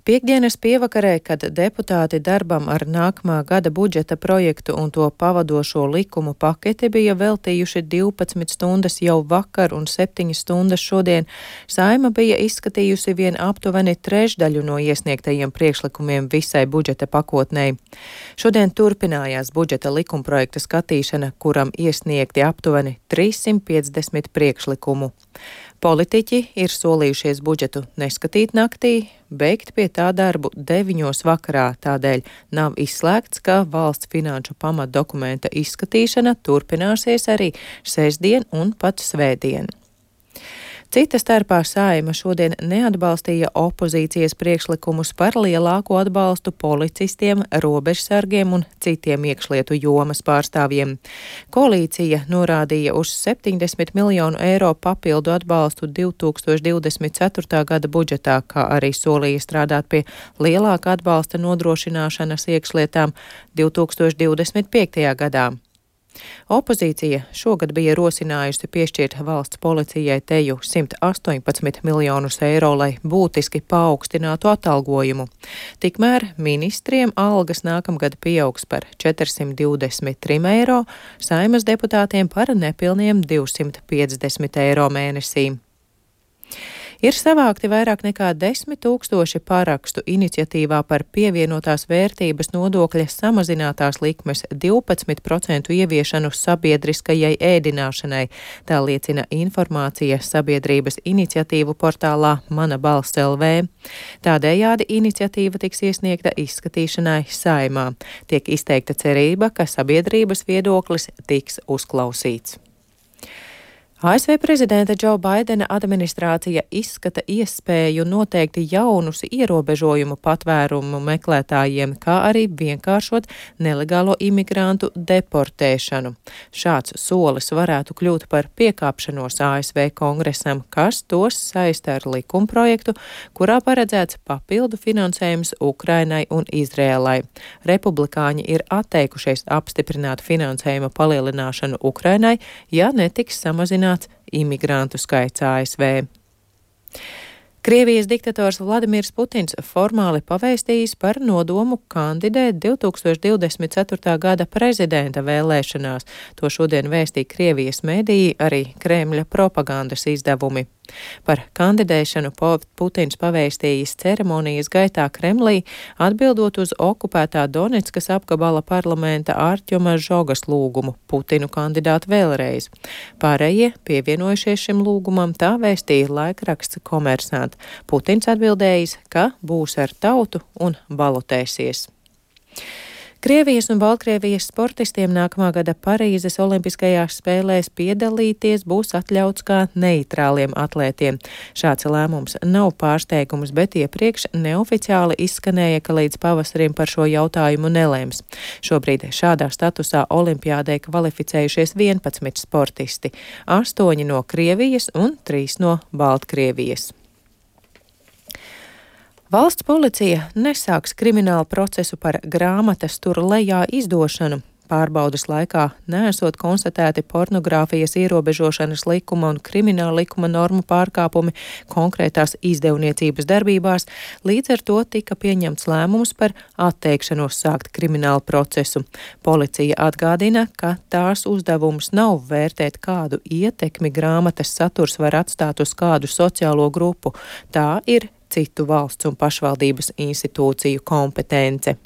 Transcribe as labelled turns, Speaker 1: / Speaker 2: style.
Speaker 1: Piektdienas pievakarē, kad deputāti darbam ar nākamā gada budžeta projektu un to pavadošo likumu paketi bija veltījuši 12 stundas jau vakar un 7 stundas šodien, Saeima bija izskatījusi vien aptuveni trešdaļu no iesniegtajiem priekšlikumiem visai budžeta pakotnei. Šodien turpinājās budžeta likumprojekta skatīšana, kuram iesniegti aptuveni 350 priekšlikumu. Politiķi ir solījušies budžetu neskatīt naktī, beigt pie tā darbu 9 vakarā, tādēļ nav izslēgts, ka valsts finanšu pamatdokumenta izskatīšana turpināsies arī sestdien un pat svētdien. Cita starpā Saeima šodien neatbalstīja opozīcijas priekšlikumus par lielāko atbalstu policistiem, robežsargiem un citiem iekšlietu jomas pārstāvjiem. Koalīcija norādīja uz 70 miljonu eiro papildu atbalstu 2024. gada budžetā, kā arī solīja strādāt pie lielāka atbalsta nodrošināšanas iekšlietām 2025. gadā. Opozīcija šogad bija rosinājusi piešķirt valsts policijai teju 118 miljonus eiro, lai būtiski paaugstinātu atalgojumu. Tikmēr ministriem algas nākamgad pieaugs par 423 eiro, Saeimas deputātiem par nepilniem 250 eiro mēnesī. Ir savākti vairāk nekā 10 000 parakstu iniciatīvā par pievienotās vērtības nodokļa samazinātās likmes 12% ieviešanu sabiedriskajai ēdināšanai, tā liecina informācija sabiedrības iniciatīvu portālā Mana balss LV. Tādējādi iniciatīva tiks iesniegta izskatīšanai Saeimā. Tiek izteikta cerība, ka sabiedrības viedoklis tiks uzklausīts. ASV prezidenta Džo Baidena administrācija izskata iespēju noteikt jaunus ierobežojumu patvērumu meklētājiem, kā arī vienkāršot nelegālo imigrantu deportēšanu. Šāds solis varētu kļūt par piekāpšanos ASV kongresam, kas tos saista ar likumprojektu, kurā paredzēts papildu finansējums Ukrainai un Izrēlai. Republikāņi ir atteikušies apstiprināt finansējuma palielināšanu Ukrainai, ja netiks samazināts imigrantu skaits ASV. Krievijas diktators Vladimirs Putins formāli pavēstījis par nodomu kandidēt 2024. gada prezidenta vēlēšanās. To šodien vēstīja Krievijas mediji, arī Kremļa propagandas izdevumi. Par kandidēšanu Putins pavēstījis ceremonijas gaitā Kremlī, atbildot uz okupētā Donetskas apgabala parlamenta Artjoma Žogas lūgumu Putinu kandidāt vēlreiz. Pārējie pievienojušies šim lūgumam, tā vēstīja laikraksts Komersant. Putins atbildējis, ka būs ar tautu un balotēsies. Krievijas un Baltkrievijas sportistiem nākamā gada Parīzes olimpiskajās spēlēs piedalīties būs atļauts kā neitrāliem atlētiem. Šāds lēmums nav pārsteigums, bet iepriekš neoficiāli izskanēja, ka līdz pavasarim par šo jautājumu nelēms. Šobrīd šādā statusā olimpiādē kvalificējušies 11 sportisti, 8 no Krievijas un 3 no Baltkrievijas. Valsts policija nesāks kriminālu procesu par grāmatas tur lejā izdošanu. Pārbaudas laikā neesot konstatēti pornogrāfijas ierobežošanas likuma un krimināla likuma normu pārkāpumi konkrētās izdevniecības darbībās, līdz ar to tika pieņemts lēmums par atteikšanos sākt kriminālu procesu. Policija atgādina, ka tās uzdevums nav vērtēt, kādu ietekmi grāmatas saturs var atstāt uz kādu sociālo grupu. Tā ir citu valsts un pašvaldības institūciju kompetence.